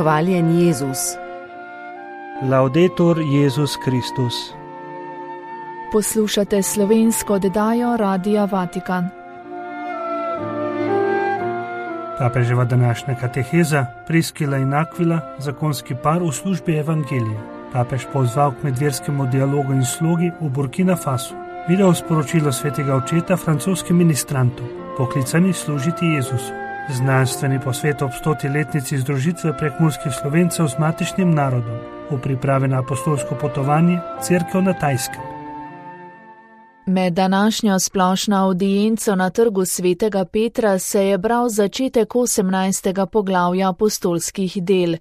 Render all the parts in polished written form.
Hvaljen Jezus. Laudetur Jezus Kristus. Poslušate slovensko oddajo Radia Vatikan. Papeževa današnja kateheza Priskila in Akvila, zakonski par v službi evangelije. Papež pozval k medverskemu dialogu in slogi v Burkina Fasu. Video sporočilo svetega očeta francoskim ministrantom, poklicani služiti Jezusu. Znanstveni posvet ob 100. letnici združitve prekmurskih Slovencev z matičnim narodom v pripravi na apostolsko potovanje Cerkev na Tajskem. Med današnjo splošno avdienco na trgu svetega Petra se je bral začetek 18. poglavja apostolskih del.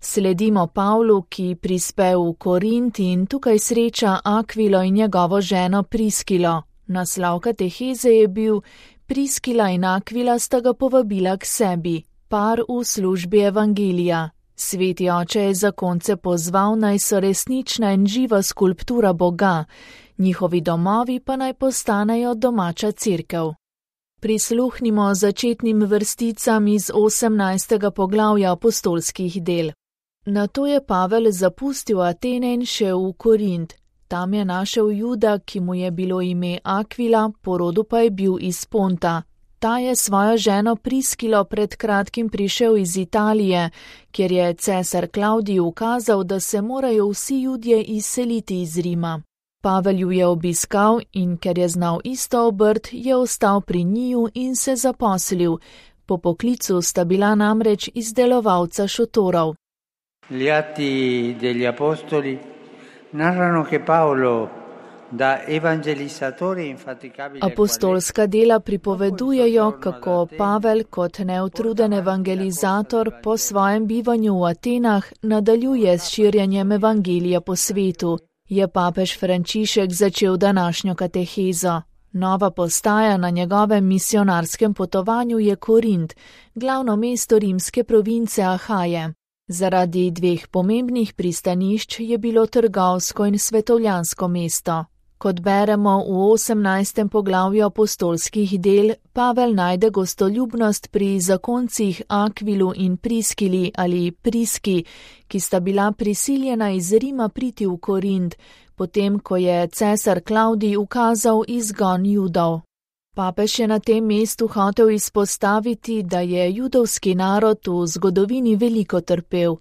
Sledimo Pavlu, ki prispe v Korint in tukaj sreča Akvilo in njegovo ženo Priskilo. Naslov kateheze je bil: Priskila in Akvila sta ga povabila k sebi, par v službi evangelija. Sveti oče je zakonce pozval, naj so resnična in živa skulptura Boga, njihovi domovi pa naj postanejo domača cerkev. Prisluhnimo začetnim vrsticam iz 18. poglavja apostolskih del. Nato je Pavel zapustil Atene in šel v Korint. Tam je našel Juda, ki mu je bilo ime Akvila, po rodu pa je bil iz Ponta. Ta je svojo ženo Priskilo pred kratkim prišel iz Italije, kjer je cesar Klavdij ukazal, da se morajo vsi Judje izseliti iz Rima. Pavel ju je obiskal in ker je znal isto obrt, je ostal pri njiju in se zaposlil. Po poklicu sta bila namreč izdelovalca šotorov. Gli atti degli apostoli narrano che Paolo da evangelizatore infaticabile. Apostolska dela pripovedujejo, kako Pavel kot neutruden evangelizator po svojem bivanju v Atenah nadaljuje s širjenjem evangelija po svetu. Je papež Frančišek začel današnjo katehezo. Nova postaja na njegovem misionarskem potovanju je Korint, glavno mesto rimske province Ahaje. Zaradi dveh pomembnih pristanišč je bilo trgovsko in svetovljansko mesto. Kot beremo v 18. poglavju apostolskih del, Pavel najde gostoljubnost pri zakoncih Akvilu in Priskili ali Priski, ki sta bila prisiljena iz Rima priti v Korint, potem ko je cesar Klavdij ukazal izgon Judov. Papež je na tem mestu hotel izpostaviti, da je judovski narod v zgodovini veliko trpel.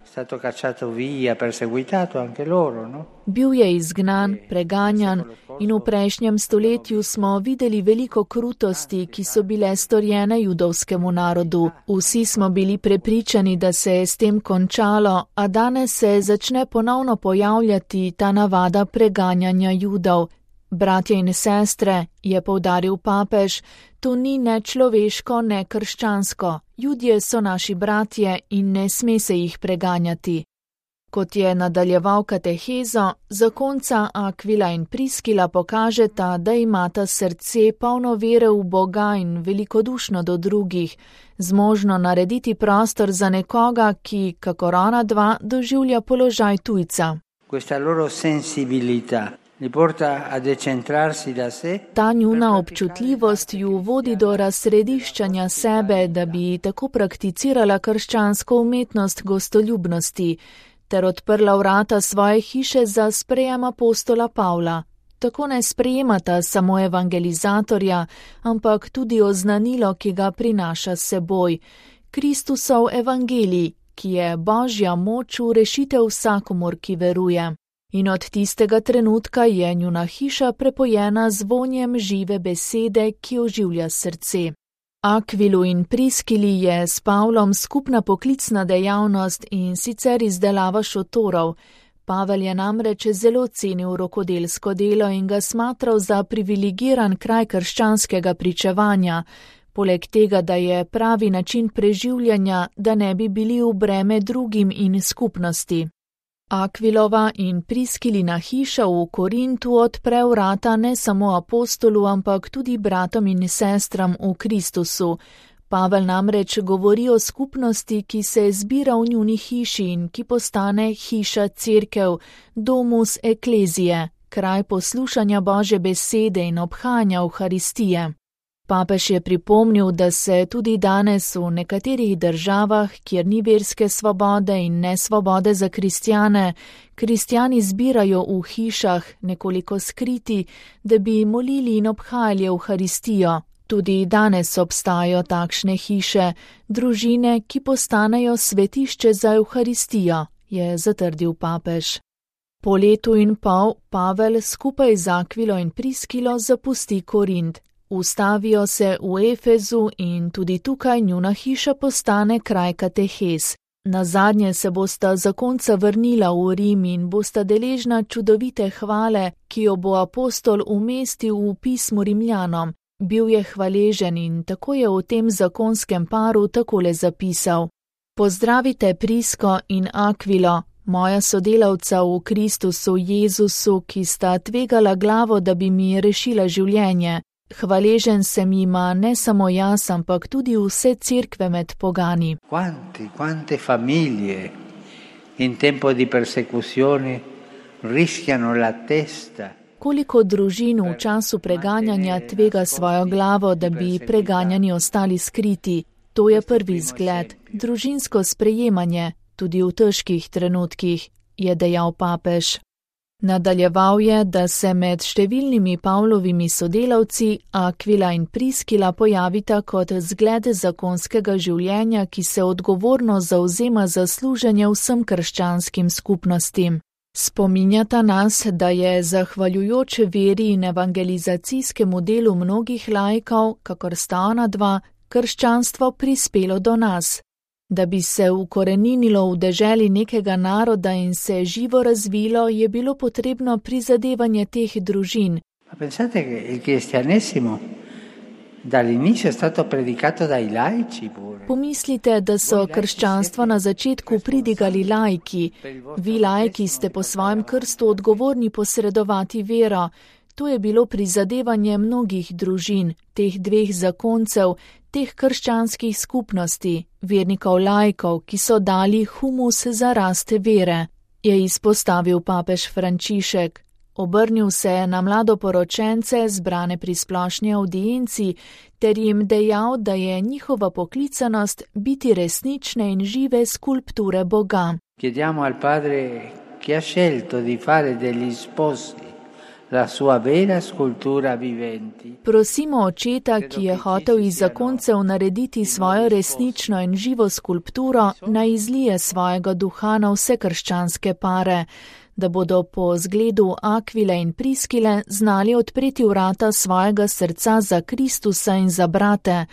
Bil je izgnan, preganjan in v prejšnjem stoletju smo videli veliko krutosti, ki so bile storjene judovskemu narodu. Vsi smo bili prepričani, da se je s tem končalo, a danes se začne ponovno pojavljati ta navada preganjanja Judov. Bratje in sestre, je poudaril papež, to ni ne človeško, ne krščansko. Judje so naši bratje in ne sme se jih preganjati. Kot je nadaljeval katehezo, zakonca Akvila in Priskila pokažeta, da imata srce polno vere v Boga in velikodušno do drugih, zmožno narediti prostor za nekoga, ki, kakor ona dva, doživlja položaj tujca. Ta njuna občutljivost ju vodi do razsrediščanja sebe, da bi tako prakticirala krščansko umetnost gostoljubnosti, ter odprla vrata svoje hiše za sprejem apostola Pavla. Tako ne sprejemata samo evangelizatorja, ampak tudi oznanilo, ki ga prinaša s seboj. Kristusov evangelij, ki je Božja moč v rešitev vsakomur, ki veruje. In od tistega trenutka je njuna hiša prepojena z vonjem žive besede, ki oživlja srce. Akvilu in Priskili je s Pavlom skupna poklicna dejavnost in sicer izdelava šotorov. Pavel je namreč zelo cenil rokodelsko delo in ga smatral za privilegiran kraj krščanskega pričevanja, poleg tega, da je pravi način preživljanja, da ne bi bili v breme drugim in skupnosti. Akvilova in Priskilina hiša v Korintu odpre vrata ne samo apostolu, ampak tudi bratom in sestram v Kristusu. Pavel namreč govori o skupnosti, ki se zbira v njuni hiši in ki postane hiša cerkev, domus eklezije, kraj poslušanja Božje besede in obhajanja Evharistije. Papež je pripomnil, da se tudi danes v nekaterih državah, kjer ni verske svobode in nesvobode za kristjani zbirajo v hišah, nekoliko skriti, da bi molili in obhajali Evharistijo. Tudi danes obstajajo takšne hiše, družine, ki postanejo svetišče za Evharistijo, je zatrdil papež. Po letu in pol Pavel skupaj z Akvilo in Priskilo zapusti Korint. Ustavijo se v Efezu in tudi tukaj njuna hiša postane kraj katehez. Nazadnje se bosta zakonca vrnila v Rim in bosta deležna čudovite hvale, ki jo bo apostol umestil v pismo Rimljanom. Bil je hvaležen in tako je v tem zakonskem paru takole zapisal. Pozdravite Prisko in Akvilo, moja sodelavca v Kristusu Jezusu, ki sta tvegala glavo, da bi mi rešila življenje. Hvaležen sem jima ne samo jaz, ampak tudi vse cerkve med pogani. Quante famiglie in tempo di persecuzione rischiano la testa. Koliko družin v času preganjanja tvega svojo glavo, da bi preganjani ostali skriti. To je prvi zgled, družinsko sprejemanje, tudi v težkih trenutkih, je dejal papež. Nadaljeval je, da se med številnimi Pavlovimi sodelavci Akvila in Priskila pojavita kot zgled zakonskega življenja, ki se odgovorno zavzema za služenje vsem krščanskim skupnostim. Spominjata nas, da je zahvaljujoč veri in evangelizacijskemu delu mnogih laikov, kakor sta ona dva, krščanstvo prispelo do nas. Da bi se ukoreninilo v deželi nekega naroda in se živo razvilo, je bilo potrebno prizadevanje teh družin. Pensate che il cristianesimo dall'inizio è stato predicato dai laici pure. Pomislite, da so krščanstvo na začetku pridigali laiki. Vi laiki ste po svojem krstu odgovorni posredovati vero. To je bilo prizadevanje mnogih družin, teh dveh zakoncev, teh krščanskih skupnosti, vernikov laikov, ki so dali humus za rast vere, je izpostavil papež Frančišek. Obrnil se je na mladoporočence, zbrane pri splošni audienci, ter jim dejal, da je njihova poklicanost biti resnične in žive skulpture Boga. Chiediamo al Padre che ha scelto di fare degli sposi la sua vera scultura viventi. Prosimo Očeta, ki je hotel iz zakoncev narediti svojo resnično in živo skulpturo, naj izlije svojega duha na vse krščanske pare, da bodo po zgledu Akvile in Priskile znali odpreti vrata svojega srca za Kristusa in za brate,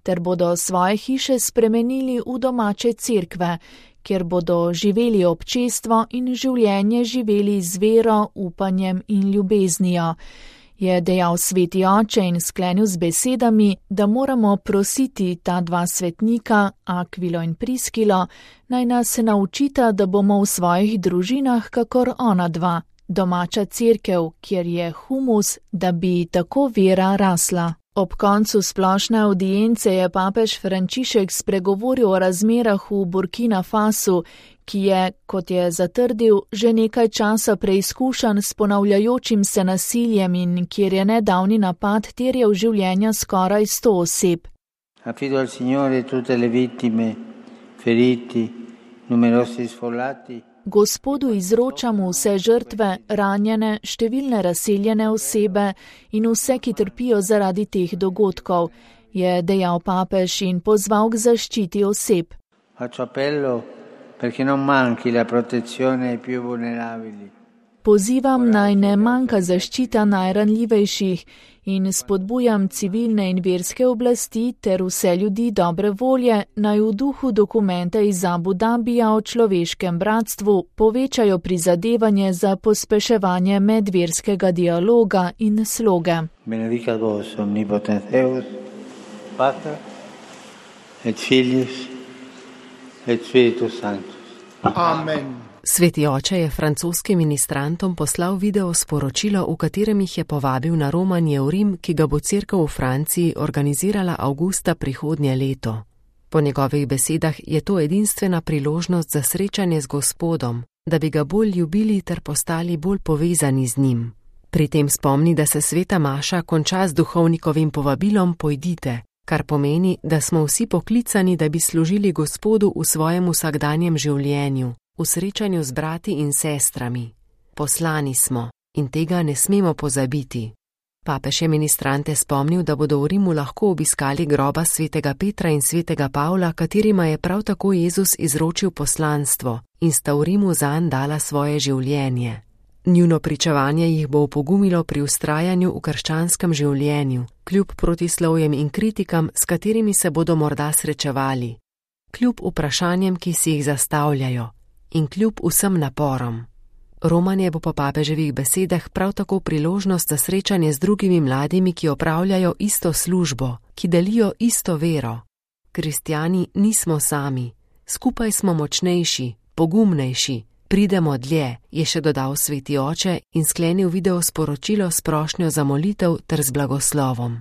ter bodo svoje hiše spremenili v domače cerkve, kjer bodo živeli občestvo in življenje živeli z vero, upanjem in ljubeznijo. Je dejal sveti oče in sklenil z besedami, da moramo prositi ta dva svetnika, Akvilo in Priskilo, naj nas naučita, da bomo v svojih družinah kakor ona dva, domača cerkev, kjer je humus, da bi tako vera rasla. Ob koncu splošne audience je papež Frančišek spregovoril o razmerah v Burkina Fasu, ki je, kot je zatrdil, že nekaj časa preizkušan s ponavljajočim se nasiljem in kjer je nedavni napad terjal življenja skoraj 100 oseb. Affido al Signore tutte le vittime, feriti, numerosi sfollati. Gospodu izročamo vse žrtve, ranjene, številne razseljene osebe in vse, ki trpijo zaradi teh dogodkov, je dejal papež in pozval k zaščiti oseb. Faccio appello perché non manchi la protezione ai più vulnerabili. Pozivam naj ne manjka zaščita najranljivejših in spodbujam civilne in verske oblasti ter vse ljudi dobre volje, naj v duhu dokumenta iz Abu Dabija o človeškem bratstvu povečajo prizadevanje za pospeševanje medverskega dialoga in sloge. Benedicat vos omnipotens Deus, Pater et Filius et Spiritus Sanctus. Amen. Sveti oče je francoskim ministrantom poslal video sporočilo, v katerem jih je povabil na romanje v Rim, ki ga bo cerkev v Franciji organizirala avgusta prihodnje leto. Po njegovih besedah je to edinstvena priložnost za srečanje z Gospodom, da bi ga bolj ljubili ter postali bolj povezani z njim. Pri tem spomni, da se sveta maša konča z duhovnikovim povabilom pojdite, kar pomeni, da smo vsi poklicani, da bi služili Gospodu v svojem vsakdanjem življenju, v srečanju z brati in sestrami. Poslani smo in tega ne smemo pozabiti. Papež je ministrante spomnil, da bodo v Rimu lahko obiskali groba svetega Petra in svetega Pavla, katerima je prav tako Jezus izročil poslanstvo in sta v Rimu zanj dala svoje življenje. Njuno pričevanje jih bo opogumilo pri vztrajanju v krščanskem življenju, kljub protislovjem in kritikam, s katerimi se bodo morda srečevali, kljub vprašanjem, ki si jih zastavljajo, in kljub vsem naporom. Romanje bo po papeževih besedah prav tako priložnost za srečanje z drugimi mladimi, ki opravljajo isto službo, ki delijo isto vero. Kristjani nismo sami, skupaj smo močnejši, pogumnejši, pridemo dlje, je še dodal sveti oče in sklenil video sporočilo s prošnjo za molitev ter z blagoslovom.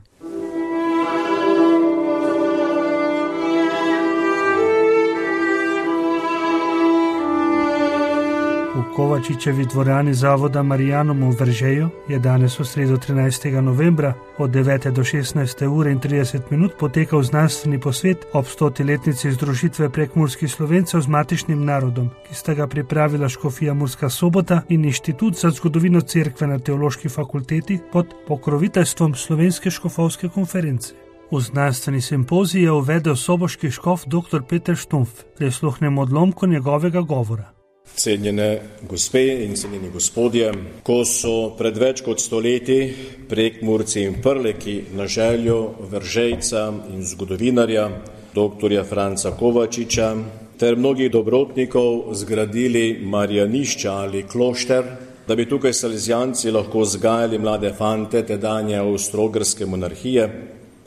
V Kovačičevi dvorani zavoda Marijanum v Veržeju je danes v sredo 13. novembra od 9. do 16. ure in 30 minut potekal znanstveni posvet ob 100-letnici združitve prekmurskih Slovencev z matičnim narodom, ki sta ga pripravila Škofija Murska Sobota in Inštitut za zgodovino cerkve na Teološki fakulteti pod pokroviteljstvom Slovenske škofovske konference. V znanstveni simpozij je uvedel soboški škof dr. Peter Štumpf. Prisluhnemo odlomku njegovega govora. Cenjene gospe in cenjeni gospodje, ko so pred več kot 100 leti Prekmurci in Prleki na željo Veržejca in zgodovinarja dr. Franca Kovačiča ter mnogih dobrotnikov zgradili Marjanišča ali klošter, da bi tukaj salezijanci lahko vzgajali mlade fante tedanje Avstro-Ogrske monarhije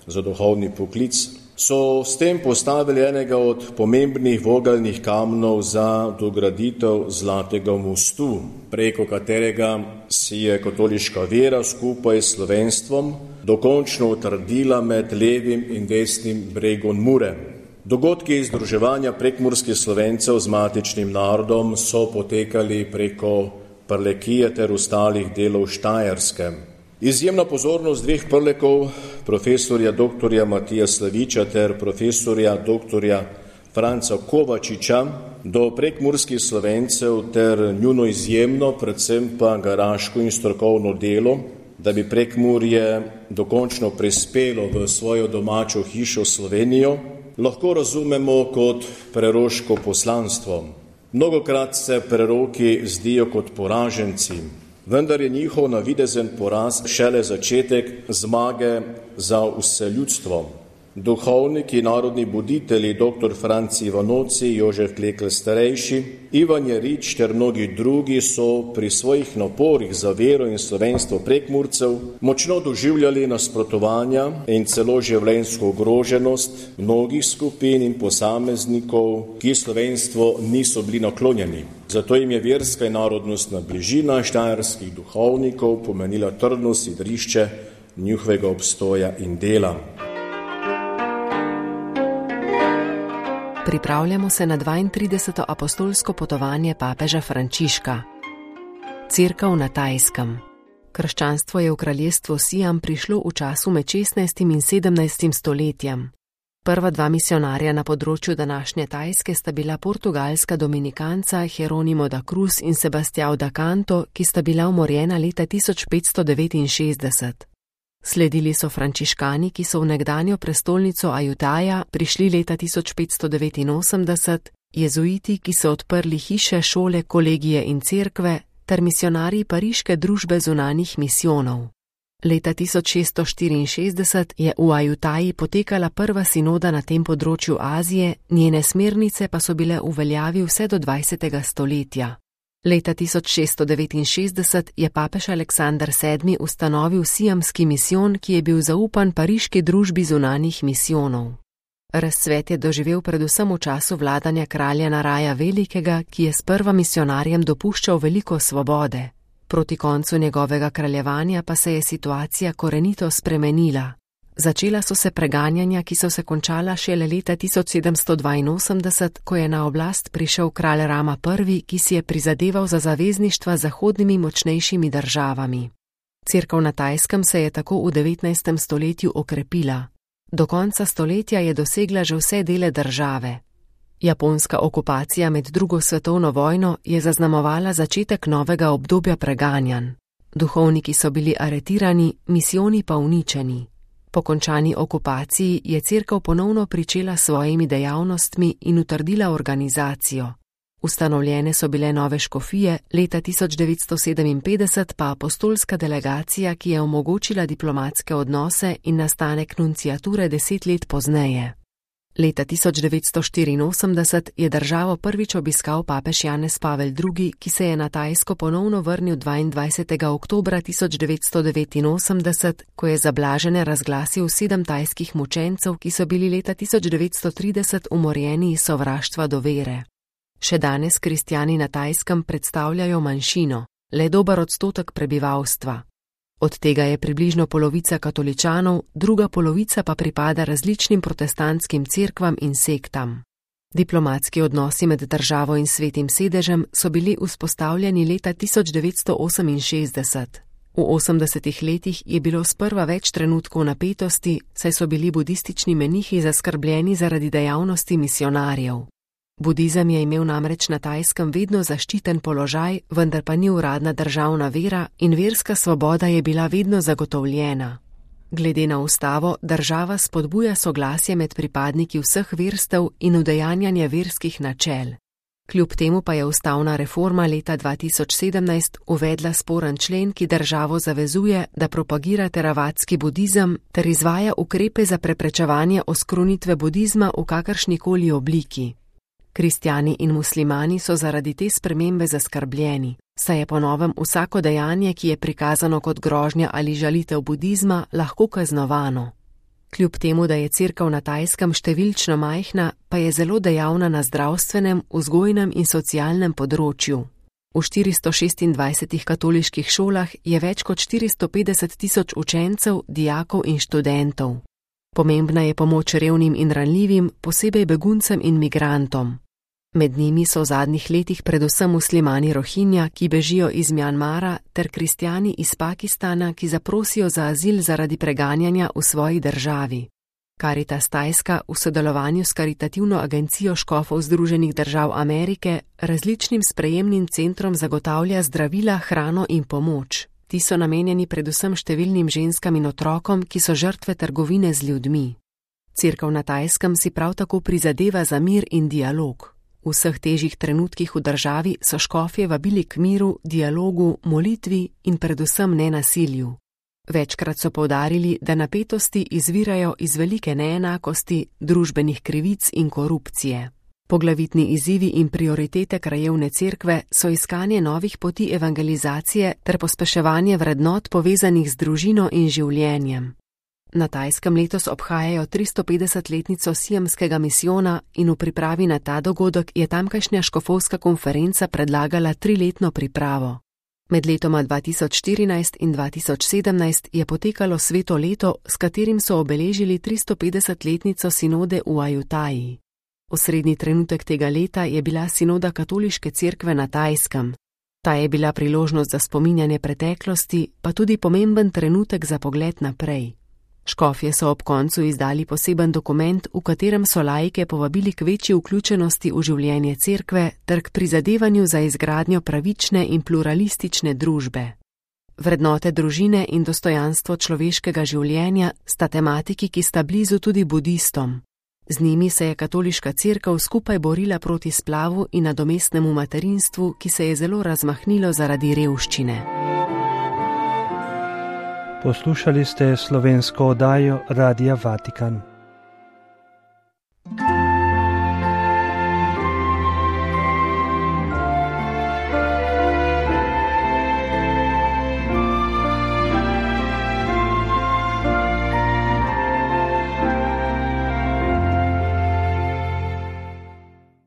za duhovni poklic, so s tem postavili enega od pomembnih vogalnih kamnov za dograditev Zlatega mostu, preko katerega si je katoliška vera skupaj s slovenstvom dokončno utrdila med levim in desnim bregom Mure. Dogodki združevanja prekmurskih Slovencev z matičnim narodom so potekali preko Prlekije ter ostalih delov Štajerske. Izjemna pozornost dveh Prlekov, profesorja dr. Matija Slaviča ter profesorja dr. Franca Kovačiča, do prekmurskih Slovencev ter njuno izjemno, predvsem pa garaško in strokovno delo, da bi Prekmurje dokončno prispelo v svojo domačo hišo Slovenijo, lahko razumemo kot preroško poslanstvo. Mnogokrat se preroki zdijo kot poraženci, vendar je njihov navidezen poraz šele začetek zmage za vse ljudstvo. Duhovniki, narodni buditelji, dr. Franci Ivanoci, Jožef Klekl starejši, Ivan Jerič ter mnogi drugi so pri svojih naporih za vero in slovenstvo Prekmurcev močno doživljali nasprotovanja in celo življenjsko ogroženost mnogih skupin in posameznikov, ki slovenstvo niso bili naklonjeni. Zato jim je verska in narodnostna bližina štajerskih duhovnikov pomenila trdno sidrišče njihovega obstoja in dela. Pripravljamo se na 32. apostolsko potovanje papeža Frančiška. Cerkev na Tajskem. Krščanstvo je v kraljestvu Siam prišlo v času med 16. in 17. stoletjem. Prva dva misionarja na področju današnje Tajske sta bila portugalska dominikanca Jeronimo da Cruz in Sebastião da Canto, ki sta bila umorjena leta 1569. Sledili so frančiškani, ki so v nekdanjo prestolnico Ajutaja prišli leta 1589, jezuiti, ki so odprli hiše, šole, kolegije in cerkve, ter misionarji Pariške družbe zunanjih misijonov. Leta 1664 je v Ajutaji potekala prva sinoda na tem področju Azije, njene smernice pa so bile v veljavi vse do 20. stoletja. Leta 1669 je papež Aleksander VII ustanovil siamski misijon, ki je bil zaupan Pariški družbi zunanjih misijonov. Razcvet je doživel predvsem v času vladanja kralja Naraja Velikega, ki je sprva misionarjem dopuščal veliko svobode. Proti koncu njegovega kraljevanja pa se je situacija korenito spremenila. Začela so se preganjanja, ki so se končala šele leta 1782, ko je na oblast prišel kralj Rama I, ki si je prizadeval za zavezništva z zahodnimi močnejšimi državami. Cerkev na Tajskem se je tako v 19. stoletju okrepila. Do konca stoletja je dosegla že vse dele države. Japonska okupacija med drugo svetovno vojno je zaznamovala začetek novega obdobja preganjanj. Duhovniki so bili aretirani, misijoni pa uničeni. Po končani okupaciji je cerkev ponovno pričela s svojimi dejavnostmi in utrdila organizacijo. Ustanovljene so bile nove škofije, leta 1957 pa apostolska delegacija, ki je omogočila diplomatske odnose in nastanek nunciature 10 let pozneje. Leta 1984 je državo prvič obiskal papež Janez Pavel II., ki se je na Tajsko ponovno vrnil 22. oktobra 1989, ko je za blažene razglasil 7 tajskih mučencev, ki so bili leta 1930 umorjeni iz sovraštva do vere. Še danes kristjani na Tajskem predstavljajo manjšino, le dober odstotek prebivalstva. Od tega je približno polovica katoličanov, druga polovica pa pripada različnim protestantskim cerkvam in sektam. Diplomatski odnosi med državo in Svetim sedežem so bili vzpostavljeni leta 1968. V 80. letih je bilo sprva več trenutkov napetosti, saj so bili budistični menihi zaskrbljeni zaradi dejavnosti misionarjev. Budizem je imel namreč na Tajskem vedno zaščiten položaj, vendar pa ni uradna državna vera in verska svoboda je bila vedno zagotovljena. Glede na ustavo, država spodbuja soglasje med pripadniki vseh verstev in udejanjanje verskih načel. Kljub temu pa je ustavna reforma leta 2017 uvedla sporen člen, ki državo zavezuje, da propagira teravatski budizem ter izvaja ukrepe za preprečevanje oskrunitve budizma v kakršnikoli obliki. Kristjani in muslimani so zaradi te spremembe zaskrbljeni, saj je po novem vsako dejanje, ki je prikazano kot grožnja ali žalitev budizma, lahko kaznovano. Kljub temu, da je cerkev na Tajskem številčno majhna, pa je zelo dejavna na zdravstvenem, vzgojnem in socialnem področju. V 426 katoliških šolah je več kot 450 tisoč učencev, dijakov in študentov. Pomembna je pomoč revnim in ranljivim, posebej beguncem in migrantom. Med njimi so v zadnjih letih predvsem muslimani Rohinja, ki bežijo iz Mjanmara, ter kristjani iz Pakistana, ki zaprosijo za azil zaradi preganjanja v svoji državi. Caritas Tajska v sodelovanju s Karitativno agencijo škofov Združenih držav Amerike različnim sprejemnim centrom zagotavlja zdravila, hrano in pomoč. Ti so namenjeni predvsem številnim ženskam in otrokom, ki so žrtve trgovine z ljudmi. Cerkev na Tajskem si prav tako prizadeva za mir in dialog. V vseh težjih trenutkih v državi so škofje vabili k miru, dialogu, molitvi in predvsem nenasilju. Večkrat so poudarili, da napetosti izvirajo iz velike neenakosti, družbenih krivic in korupcije. Poglavitni izzivi in prioritete krajevne cerkve so iskanje novih poti evangelizacije ter pospeševanje vrednot povezanih z družino in življenjem. Na Tajskem letos obhajajo 350-letnico siamskega misijona in v pripravi na ta dogodek je tamkajšnja škofovska konferenca predlagala 3-letno pripravo. Med letoma 2014 in 2017 je potekalo sveto leto, s katerim so obeležili 350-letnico sinode v Ajutaji. Osrednji trenutek tega leta je bila sinoda katoliške cerkve na Tajskem. Ta je bila priložnost za spominjanje preteklosti, pa tudi pomemben trenutek za pogled naprej. Škofje so ob koncu izdali poseben dokument, v katerem so laike povabili k večji vključenosti v življenje cerkve ter k prizadevanju za izgradnjo pravične in pluralistične družbe. Vrednote družine in dostojanstvo človeškega življenja sta tematiki, ki sta blizu tudi budistom. Z njimi se je katoliška cerkev skupaj borila proti splavu in nadomestnemu materinstvu, ki se je zelo razmahnilo zaradi revščine. Poslušali ste slovensko oddajo Radia Vatikan.